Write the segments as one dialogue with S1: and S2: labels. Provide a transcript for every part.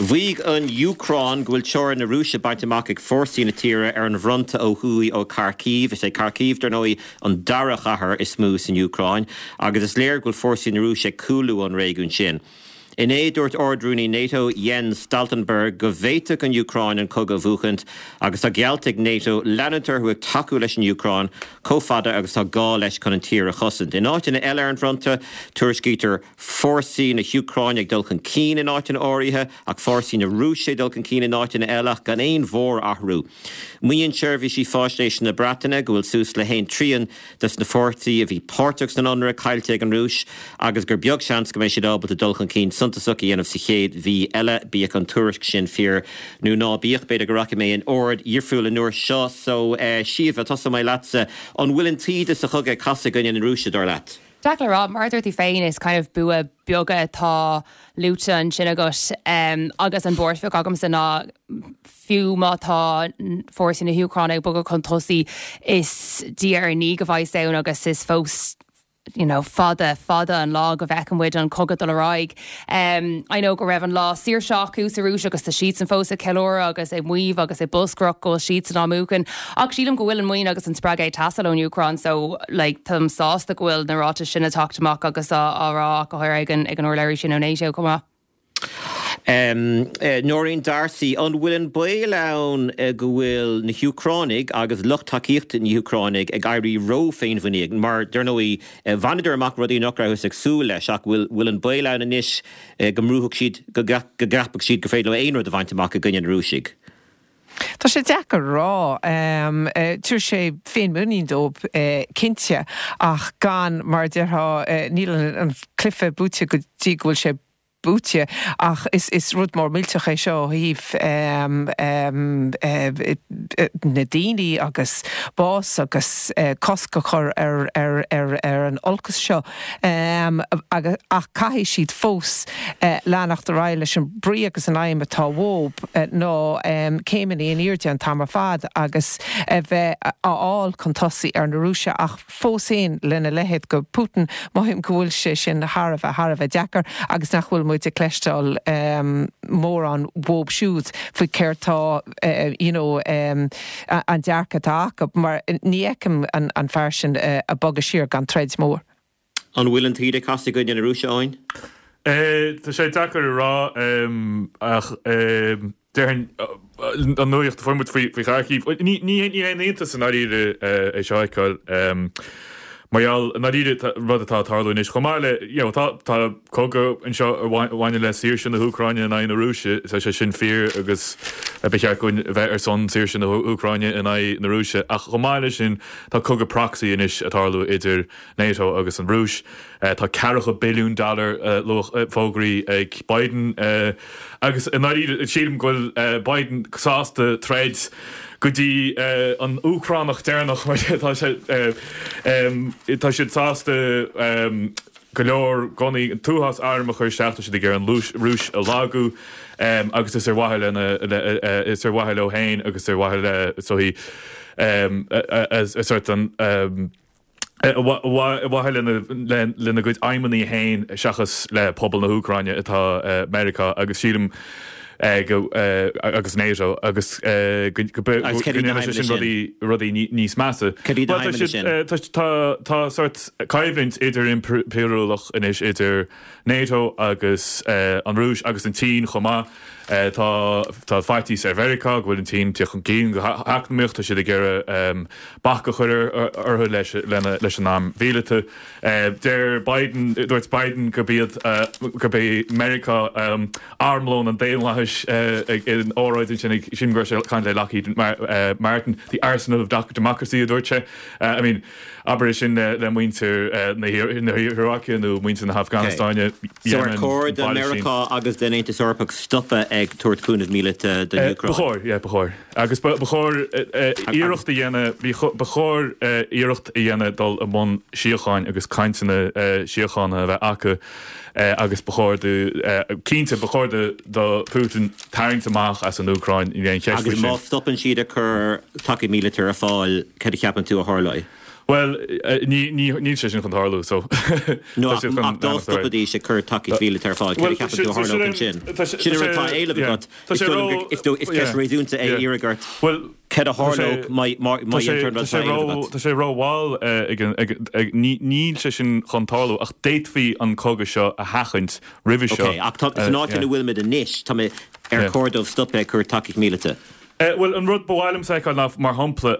S1: Mhaígh an Úcráin go bhfuil teorainn na Rúise bainte amach ag fórsaí na tíre ar an bhfronta ó thuaidh ó Kharkiv. Is é Kharkiv, dar ndóigh, an dara chathair is mó san Úcráin agus is léir go bhfuil fórsaí na Rúise ag cúlú ón réigiún sin. Inné, dúirt Ard-Rúnaí NATO, Jens Stoltenberg, go bhféadfadh an Úcráin an cogadh a bhuachaint agus tá geallta ag NATO leanúint orthu ag tacú leis an Úcráin chomh fada agus tá gá leis chun an tír a chosaint. In áiteanna eile ar an bhfronta, tuairiscítear fórsaí na hÚcráine ag dul chun cinn in áiteanna áirithe ach fórsaí na Rúise ag dul chun cinn in áiteanna eile ach gan aon mhórathrú. Maíonn seirbhísí faisnéise na Breataine go bhfuil suas le haon trian des na fórsaí a bhí páirteach san ionradh caillte ag an Rúis agus gur beag seans go mbeidh siad ábalta dul chun cinn suntasach a dhéanamh sa chéad mhí eile. Bíodh an tuairisc sin fíor nó ná bíodh, b'fhéidir go rachaidh mé in ord dhifriúil an uair seo. So, Síomha, tosóidh mé leatsa. An bhfuil an taoide sa chogadh ag casadh i gcoinne na Rúise, dar leat?
S2: Deacair le rá. Mar a dúirt tú féin, is kind of bua beaga atá luaite ansin agat agus an bhuairt bheag agamsa ná fiú má tá fórsaí na hÚcráine ag bogadh chun tosaigh, is diaidh ar ndiaidh a bheas ann agus is fós you know fada, fada an lá go bhfeicfidh muid an cogadh dul ar aghaidh. I know go raibh an lá saoirse acu sa Rúis agus tá siadsan fós ag ceiliúradh agus ag maíomh agus ag bolscaireacht go bhfuil siadsan á mbuachan ach sílim go bhfuil an muinín agus an spreagadh ag teastáil ón Úcráin so like táim sásta go bhfuil na ráitis sin ag teacht amach agus á rá ach go háirithe ag an ag an urlabhraí sin ó NATO chomh maith.
S1: Nóirín D'Arcy, An bhfuil an baol ann go bhfuil na hÚcránaigh agus lucht tacaíochta na hÚcránaigh ag éirí ró-fhéinmhuiníneach mar, dar ndóigh, bhaineadar amach rudaí nach rabhthas ag súil leis ach bhfuil an baol ann anois go mbrúfadh siad, go gceapfadh siad gur féidir leo aon rud a bhaint amach i gcoinne na Rúisigh?
S3: Tá sé deacair a rá. Tabharfaidh sé féinmhuinín dóibh cinnte ach gan, mar a déarfá, níl an cluiche buaite go dtí go bhfuil sé buaite ach is rud mór millteach é seo ó thaobh na daoine agus bás agus cosc a chur ar an olcas seo ach caithfidh siad fós leanacht ar aghaidh leis an brí agus an aidhm atá uathu ná céimeanna in airde an t-am ar fad agus a bheith a fháil chun tosaigh ar na Rúisigh ach fós féin lena leithéid de Putin mothaím go bhfuil sé sin thar a bheith thar a bheith deacair agus nach bhfuil muid ag cloisteáil mórán uathu siúd faoi céard tá you know an dearcadh atá acu mar ní fheicim an fear sin ag bogadh siar gan troid mhór.
S1: An bhfuil an taoide ag casadh i gcoinne na Rúise, Eoin?
S4: Tá sé deacair a rá ach déarfainn an nuaíocht a fuair muid faoi Kharkiv, ní haon iontas i ndáiríre é seo a fheiceáil mar gheall i ndáiríre rud atá ag tarlú anois chomh maith le you know tá tá cogadh anseo a bhaineann le saoirse na hÚcráine in aghaidh na Rúise, tá sé sin fíor agus ba cheart dúinn a bheith ar son saoirse na hÚcráine in aghaidh na Rúise ach chomh maith leis sin tá cogadh proxy anois ag tarlú idir NATO agus an Rúis. Tá ceathracha billiún dollar luach fógraithe ag Biden agus i ndáiríre sílim go bhfuil Biden sásta troid go dtí an Úcránach deireanach mar tá sé tá siad sásta go leor gunnaí an t-uafás arm a chur isteach tá siad ag iarraidh an Rúis a lagú agus is ar mhaithe lena is ar mhaithe leo féin agus ar mhaithe le is dóichí sort an ar mhaithe lena gcuid aidhmeanna féin seachas le pobal na hÚcráine atá Meiriceá agus sílim go agus NATO agus go ndéanfaidh sé sin rudaí rudaí níos measa. Tá sórt coimhlint idir-impiriúlach anois idir NATO agus an Rúis agus an tSín chomh maith. Tá tá faitíos ar Mheiriceá go bhfuil an tSín ag teacht chun cinn go heacnamaíoch, tá siad ag iarraidh bac a chur orthu leis leis an arm mhíleata. Deir Biden, dúirt Biden gurb iad gurb é Meiriceá armlón an daonlathais in óráid ansin ag sílim go raibh sé ag caint le Lockheed Martin, the arsenal of democracy a dúirt sé. I mean. Abair é sin le muintir na hIaráice nó muintir na hAfganastáine,
S1: So ar Yemen, chóir do Phalaistín. Mheiriceá agus don Aontas Eorpach stopadh ag tabhairt cúnamh míleata don
S4: Ba Úcráin? chóir, yeah, ba chóir. Agus ba chóir iarracht a dhéanamh, ba chóir iarracht a dhéanamh dul i mbun síocháin agus cainteanna síochána a bheith acu agus ba chóir do, cinnte, ba chóir do Putin tarraingt amach as an Úcráin, níl aon cheist faoi
S1: Agus má sin. stopann siad ag cur tacaíocht míleata ar fáil, cad a cheapann tú a tharlóidh?
S4: Bhuel, níl sé sin chun tarlú, so
S1: No, ach dá stopaidís ag cur tacaíocht mhíleata ar fáil, céard a cheapann tú a tharlódh ansin? Sin an rud atá á éileamh agat. Is dóigh liom gur is ceist réasúnta é iarraidh ort céard a tharlódh má dhéantar an rud atá á éileamh agat.
S4: Tá sé rómhall ag an, níl sé sin chun tarlú ach d'fhéadfaí an cogadh seo a sheachaint roimhe seo.
S1: Ok, ach san áit ina bhfuilimid anois, tá mé, ar chóir dóibh stopadh ag cur tacaíocht mhíleata?
S4: Bhuel, an rud ba mhaith liomsa a fheiceáil ná, mar shampla,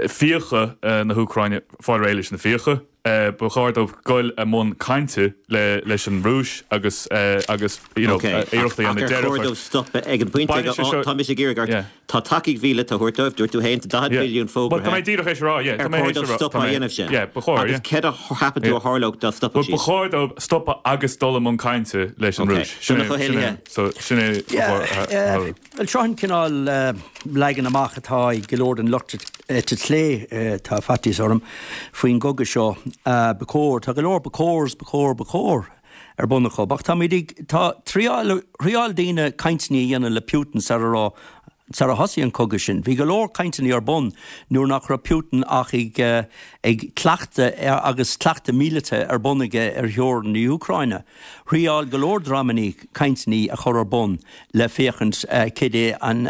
S4: fiacha na hÚcráine, fáil réidh leis na fiacha. Ba chóir dóibh goil i mbun cainte leis an Rúis agus agus you know iarracht a dhéanamh
S1: deireadh a chur. Ach ar chóir dóibh stopadh ag an bpointe ag tá mise ag iarraidh ort, tá tacaíocht mhíleata á thabhairt dóibh, dúirt tú féin, tá 40 billiún fógraithe.
S4: Tá mé díreach théis a rá, yeah.
S1: Ar chóir dóibh stopadh á dhéanamh sin?
S4: Yeah, ba chóir,
S1: yeah. Agus céard a cheapann tú a tharlódh dá stopfadh
S4: siad? Ba chóir dóibh stopadh agus dul i mbun cainte leis an Rúis.
S1: Sin é,
S4: so sin é a
S5: tharlódh. Bhuel, seo an cineál leagan amach atá ag go leor den lucht eite chlé, tá faitíos orm, faoin gcogadh seo. Ba chóir, tá go leor ba chóirs, ba chóir, ba chóir ar bun acu. Ach táimid ag, tá, thriáil, thriáil daoine cainteanna a dhéanamh le Putin sara raibh, sara thosaigh an cogadh sin. Bhí go leor cainteanna ar bun nuair nach raibh Putin ach ag, ag cleachtadh agus cleachtadh míleata ar bun aige ar theorainn na hÚcráine. Thriáil go leor dreamanna cainteanna a chur ar bun le féachaint cad é an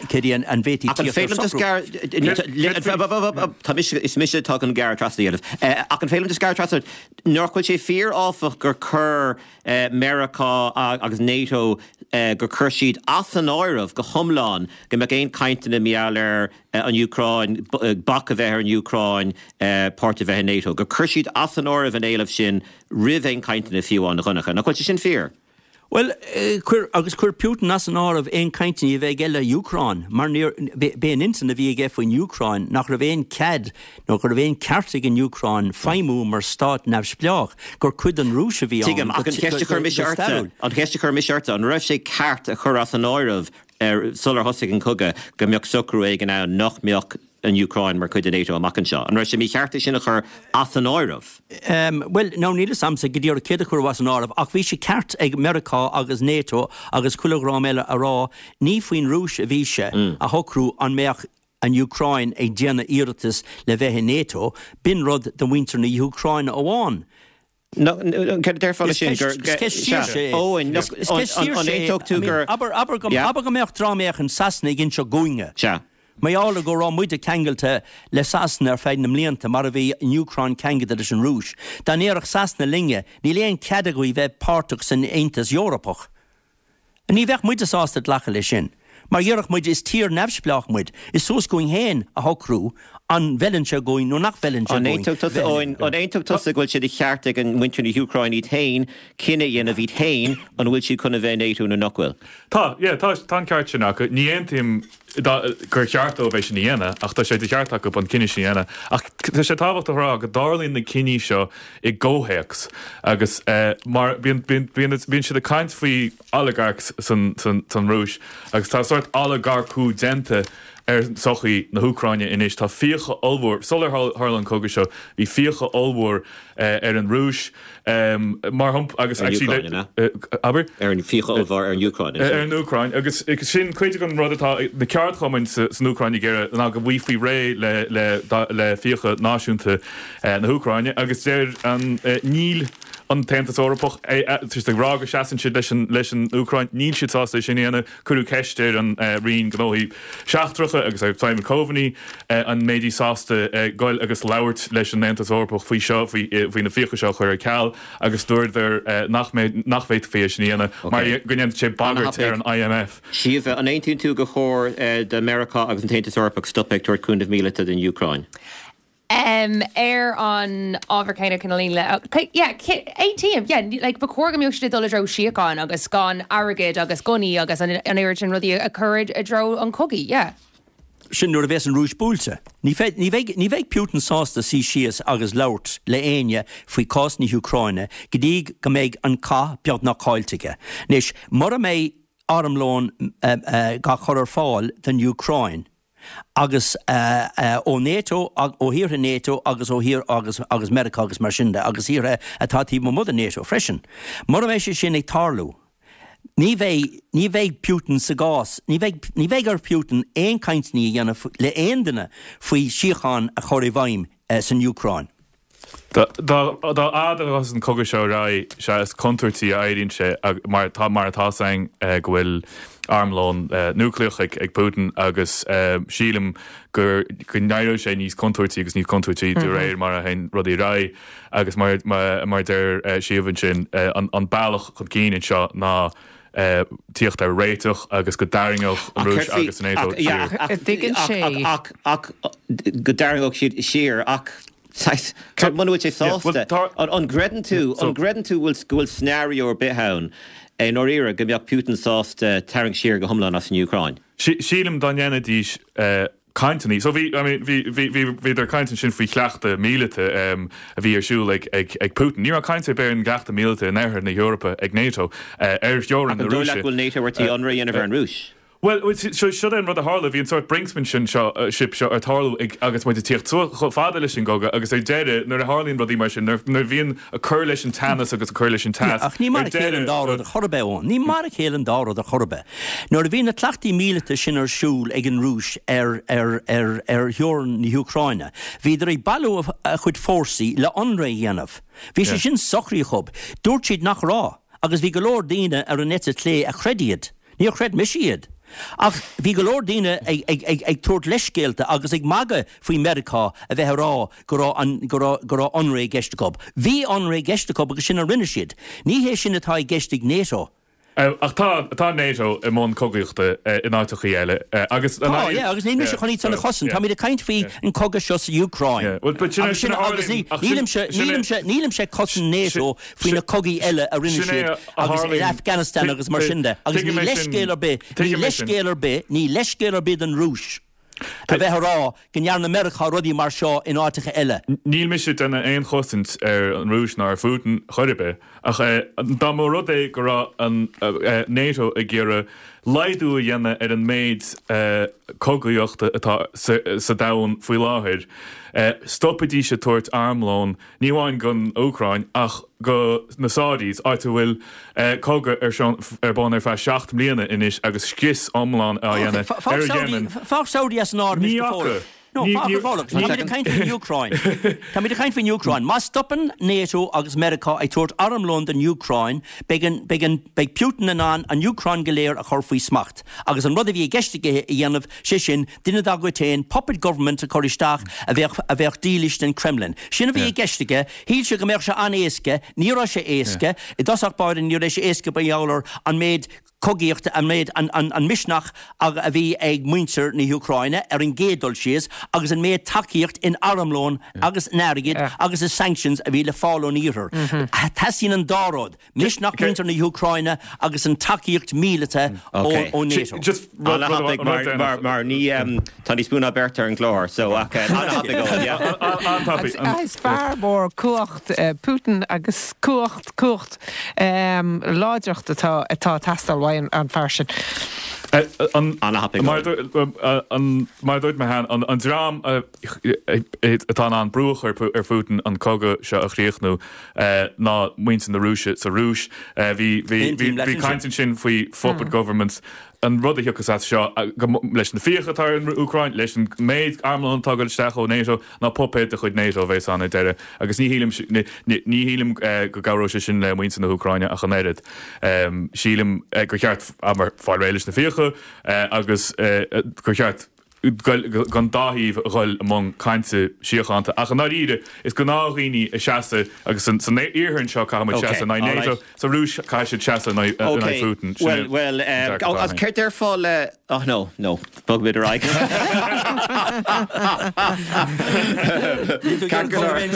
S5: cad é an bhféadfaí
S1: Ach an
S5: tíocht
S1: féidir
S5: ar
S1: liom just
S5: socrú.
S1: gearr Tá mise is mise atá chun gearradh trasna a dhéanamh. Ach an féidir liom just gearradh trasna nach bhfuil sé fíor áfach gur chuir Meiriceá agus NATO gur chuir siad as an áireamh go hiomlán go mbeadh aon cainteanna mar gheall ar an Úcráin, bac a bheith ar an Úcráin páirt a bheith in NATO, gur chuir siad as an áireamh an éileamh sin roimh aon chainteanna fiú amháin, a Dhonncha. Nach bhfuil sé sin fíor?
S5: Bhuel, chuir, agus chuir Putin as an áireamh aon chainteanna a bheith aige le Úcráin, mar níor, b'é an intinn a bhí aige faoin Úcráin nach raibh aon cead nó go raibh aon ceart ag an Úcráin feidhmiú mar stát neamhspleách, gur cuid den Rúis a bhí
S1: ann Tuigim, ach an cheist a chuir mise
S5: go
S1: ortsa,
S5: stairiúil.
S1: an cheist a chuir mise ortsa, an raibh sé ceart a chur as an áireamh sular thosaigh an cogadh go mbeadh socrú éigin ann nach mbeadh an Úcráin mar chuid de NATO amach anseo? An raibh sé mícheart é sin a chur as an áireamh?
S5: Bhuel, now níl 'fhios a'msa go díreach céard a cuireadh as an áireamh ach bhí sé ceart ag Meiriceá agus NATO agus chuile dhream eile a rá ní faoin Rúis a bhí sé a shocrú an mbeadh an Úcráin ag déanamh iarratas le bheith i NATO, b'in rud do mhuintir na hÚcráine amháin.
S1: Céard a déarfá leis sin?
S5: Is ceist saoirse é.
S1: Eoin,
S5: Is ceist
S1: an
S5: saoirse é.
S1: aontódh tú gur.
S5: Abair, abair go, abair go mbeadh dream éicint i Sasana ag inseacht dhúinne.
S1: Sea.
S5: Mar gheall ar go raibh muide ceangailte le Sasana ar feadh na mblianta, mar a bhí an Úcráin ceangailte leis an Rúis. Dá ndéarfadh Sasana linne, níl aon cead agaibh bheith páirteach san Aontas Eorpach. Ní bheadh muide sásta glacadh leis sin, mar dhéarfadh muid, is tír neamhspleách muid, is suas chugainn féin a shocrú an bhfeileann sé dhúinn nó nach bhfeileann sé
S1: An
S5: dhúinn
S1: aontódh tusa,
S5: bheith
S1: Eoin, an aontódh tusa go bhfuil sé de cheart ag an muintir na hÚcráine iad féin cinneadh a dhéanamh iad féin an bhfuil siad chun a bheith i NATO nó nach bhfuil?
S4: Tá, yeah, tá, tá an ceart sin acu. Ní aontaím gur cheart dóibh é sin a dhéanamh, ach tá sé de cheart acu an cinneadh sin a dhéanamh. Ach tá sé tábhachtach a rá go dtarlaíonn na cinní seo i gcomhthéacs agus mar bíonn, bíonn, bíonn, bíonn siad ag caint faoi oligarchs san, san, san Rúis agus tá sórt olagarcú déanta ar sochaí na hÚcráine anois. Tá fiacha ollmhór, sular tharla an cogadh seo, bhí fiacha ollmhór ar an Rúis, mar shampla, agus
S1: Ar an Úcráin, an ea?
S4: Abair?
S1: Ar an fiacha ollmhór ar an Úcráin,
S4: an ea? Ar an Úcráin, agus sin cuid den rud atá na ceardchumainn san Úcráin ag iarraidh ná go bhfaighfí réidh le fiacha náisiúnta na hÚcráine, agus deir an, níl an tAontas Eorpach ag rá go seasann siad leis an Úcráin, níl siad sásta é sin a dhéanamh. Cuireadh ceist ar an Roinn Gnóthaí Seachtracha agus ar Simon Coveney an mbeidís sásta goil agus labhairt leis an Aontas Eorpach faoi seo, faoi na fiacha seo a chur ar ceal agus dúradar nach mbeidh, nach bhféadfaí é sin a dhéanamh mar go ndéanfadh sé bagairt ar an IMF.
S1: Síomha, an aontaíonn tú gur chóir do Meiriceá agus an tAontas Eorpach stopadh ag tabhairt cúnamh míleata don Úcráin?
S2: Ar an ábhar céanna cineál le, yeah, aontaím, yeah, like ba chóir go mbeadh siad ag dul i dtreo síocháin agus gan airgead agus gunnaí agus an oiread sin rudaí a chur i dtreo an chogaidh, yeah.
S5: Sin nuair a bheas an Rúis buailte. Ní bheidh, ní bheidh Putin sásta suí síos agus labhairt le éinne faoi chás na hÚcráine go dtí go mbeidh an cath beagnach caillte aige. Anois, mura mbeidh armlón á chur ar fáil don Úcráin, agus ó NATO, ó thíortha NATO agus ó thír agus agus Meiriceá agus mar sin de agus thíortha atá taobh amuigh de NATO freisin. Mura mbeidh sé sin ag tarlú, Ní bheidh, ní bheidh Putin sa gcás, ní bheidh, ní bheidh ar Putin aon cainteanna a dhéanamh le aon duine faoi síocháin a chur i bhfeidhm san Úcráin.
S4: Dá fhad a ghabhfas an cogadh seo ar aghaidh, sea is contúirtí a éiríonn sé mar tá mar atá 's againn go bhfuil armlón núicléach ag Putin agus sílim go go n-éireoidh sé níos contúirtí agus níos contúirtí de réir mar a théann rudaí ar aghaidh agus mar mar a deir Síomha ansin an bealach chun cinn anseo ná tíocht ar réiteach agus go dtarraingeodh an Rúis agus an NATO siar.
S3: Tuigeann sé.
S1: Ach ach go dtarraingeodh siad siar ach saghas muna bhfuil sé sásta an gcreideann tú an gcreideann tú go bhfuil scenario ar bith ann i ndáiríre go mbeadh Putin sásta tarraingt siar go hiomlán as an Úcráin?
S4: Sílim dá ndéanfaidís cainteanna. So bhí, I mean, bhí, bhí, bhí, bhíodar ag caint ansin faoi chleachtadh míleata a bhí ar siúl ag, ag, ag Putin. Ní raibh caint ar bith ar an gcleachtadh míleata in oirthear na hEorpa ag NATO, ar theorainn
S1: Ach
S4: na
S1: an dóigh
S4: Rúise.
S1: leat go bhfuil NATO ar tí ionradh a dhéanamh ar an Rúis?
S4: Bhuel, so, seo é an rud a tharla, bhí an sórt brinksmanship seo, ship seo ag tarlú ag, agus muid ag tíocht suas chomh fada leis an gcogadh agus ar deireadh, nuair a tharlaíonn rudaí mar sin, nuair, nuair a bhíonn ag cur leis an teannas agus ag cur leis an teas,
S5: Yeah, ach ní mar
S4: ar
S5: a chéile an
S4: deireadh,
S5: dá rud ar chor ar bith, Eoin. Ní mar a chéile an dá rud ar chor ar bith. Nuair a bhí na cleachtaí míleata sin ar siúl ag an Rúis ar ar ar ar theorainn na hÚcráine, bhíodar ag bailiú a chuid fórsaí le ionradh a dhéanamh. Bhí sé sin socraithe acu. Dúirt siad nach raibh, agus bhí go leor daoine ar an eite chlé a chreid iad. Níor chreid mise iad. Ach bhí go leor daoine ag ag ag ag tabhairt leithscéalta agus ag magadh faoi Meiriceá a bheith ag rá go raibh an go raibh go raibh ionradh i gceist acu. Bhí ionradh i gceist acu agus sin a rinne siad. Ní hé sin atá i gceist ag NATO.
S4: Ach tá, tá NATO i mbun cogaíochta in áiteachaí eile agus.
S5: Tá, yeah, agus níl mise chun iad san a chosaint. Táimid ag caint faoi an cogadh seo sa Úcráin. Agus sin, agus ní, nílimse, nílimse, nílimse ag cosaint NATO faoi na cogaí eile a rinne siad agus in Afghanistan agus mar sin de. Agus ní leithscéal ar bith, ní leithscéal ar bith, ní leithscéal ar bith don Rúis a bheith ag rá go ndearna Meiriceá rudaí mar seo in áiteacha eile.
S4: Níl mise ag déanamh aon chosaint ar an Rúis ná ar Phutin chor ar bith, ach dá mba rud é go raibh an NATO ag iarraidh laghdú a dhéanamh ar an méid cogaíochta atá sa domhan faoi láthair, stopaidís ag tabhairt armlón ní amháin don Úcráin ach go na Saudis, áit a bhfuil cogadh ar bun ar feadh 7 mbliana anois agus scrios iomlán á dhéanamh ar Yemen.
S5: Fág Saudi as an áireamh
S4: Ní
S5: anois go
S4: fhaca.
S5: fóill. No, fág go fóill. Táimid ag caint faoin Úcráin. Táimid ag caint faoin Úcráin. Má stopann NATO agus Meiriceá ag tabhairt armlóin don Úcráin, beidh an, beidh an, beidh Putin in ann an Úcráin go léir a chur faoi smacht. Agus an rud a bhí i gceist aige a dhéanamh, sé sin, duine dá gcuid féin, puppet government a chur isteach a bheadh, a bheadh dílis don Kremlin. Sin a bhí i gceist aige. Shíl sé go mbeadh sé an-éasca. Ní raibh sé éasca. I dtosach báire ní raibh sé éasca mar gheall ar an méid cogaíochta, an méid, an, an, an misneach a, a bhí ag muintir na hÚcráine ar an gcéad dul síos agus an méid tacaíocht in armlón agus in airgead agus i sanctions a bhí le fáil ón Iarthar. Teastaíonn an dá rud. Misneach mhuintir na hÚcráine agus an tacaíocht mhíleata ó NATO.
S1: An-thapaidh mar ní tá níos mó ná beirt ar an gclár so ach an-thapaidh Eoin, yeah.
S3: An-tapaidh. Is fear mór cumhacht Putin agus cumhacht, cumhacht, láidreacht atá atá ag teastáil uaidh an fear sin.
S1: An-thapaidh
S4: Eoin. Mar a dúirt mé cheana, an dream atá in ann brú a chur ar Phutin an cogadh seo a chríochnú ná muintir na Rúise sa Rúis. Bhí bhí caint ansin faoi phuppet governments. An rud a thiocfas as seo, leis na fiacha atá ar an Úcráin, leis an méid armlóin atá ag dul isteach ó NATO, ná puipéad de chuid NATO a bheas ann ar deireadh. Agus ní shílim ní shílim go gcabhróidh sé sin le muintir na hÚcráine ach an oiread. Sílim gur cheart fáil réidh leis na fiacha agus gur cheart don dá thaobh a dhul i mbun cainte síochánta. Ach i ndáiríre, is gnáthdhaoine a seasamh, agus san iarthar anseo caithfidh muid seasamh in aghaidh NATO, sa Rúis caithfidh siad seasamh in aghaidh Putin.
S1: Sin é an dearcadh atá againn. Céard déarfá le, oh no, no, bogfaimid ar aghaidh. Ceart go leor.